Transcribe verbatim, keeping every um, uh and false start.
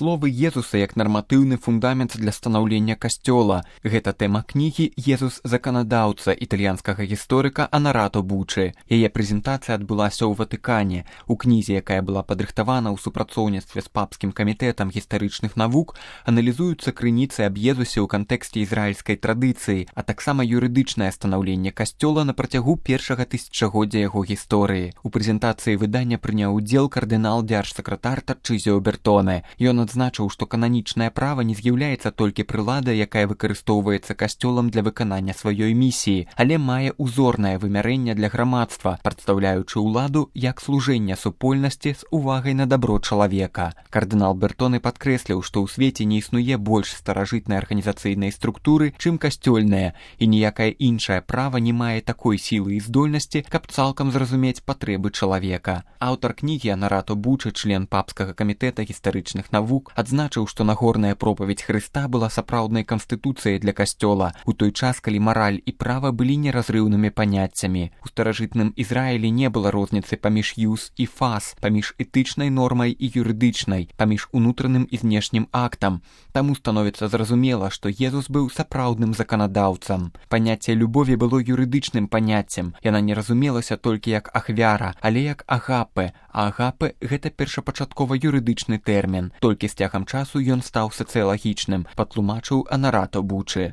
словы Езуса як нарматыўны фундамент для станаўлення касцёла. Гэта тэма кнігі «Езус заканадаўца» італьянскага гісторыка Анарато Бучы. Яе прэзентацыя адбылася ў Ватыкане. У кнізе, якая была падрыхтавана ў супрацоўніцтве з папскім камітэтам гістарычных навук, аналізуюцца крыніцы аб Езусе ў кантэксце ізраільскай традыцыі, а таксама юрыдычнае станаўленне касцёла на працягу першага тысячагоддзя яго гісторыі. У прэзентацыі выдання прыняў удзел кардынал дзяржсакратар Тарчызіо Бертоне. Ён адзначыў, што кананічнае права не з'яўляецца толькі прыладай, якая выкарыстоўваецца касцёлам для выканання сваёй місіі, але мае узорнае вымярэнне для грамадства, прадстаўляючы ўладу як служэнне супольнасці з увагай на дабро чалавека. Кардынал Бертоне падкрэсліў, што ў свеце не існуе больш старажытнай арганізацыйнай структуры, чым касцёльная, і ніякае іншае права не мае такой сілы і здольнасці, каб цалкам зразумець патрэбы чалавека. Аўтар кнігі Анарато Бучы, член папскага камітэта гістарычных навук, адзначыў, што нагорная пропаведь Хрыста была сапраўднай канстытуцыяй для касцёла, у той час, калі мараль і права былі неразрыўнымі паняццямі. У старажытным Ізраілі не было розніцы паміж юс і фас, паміж этычнай нормай і юрыдычнай, паміж унутраным і знешнім актам. Таму становіцца зразумела, што Езус быў сапраўдным заканадаўцам. Паняцце любові было юрыдычным паняццем. Яна не разумелася толькі як ахвяра, але як агапе, а агапе – гэта першапачаткова юрыдычны тэрмін. Толькі з цягам часу ён стаў сацыялагічным, патлумачыў Анарато Бучы.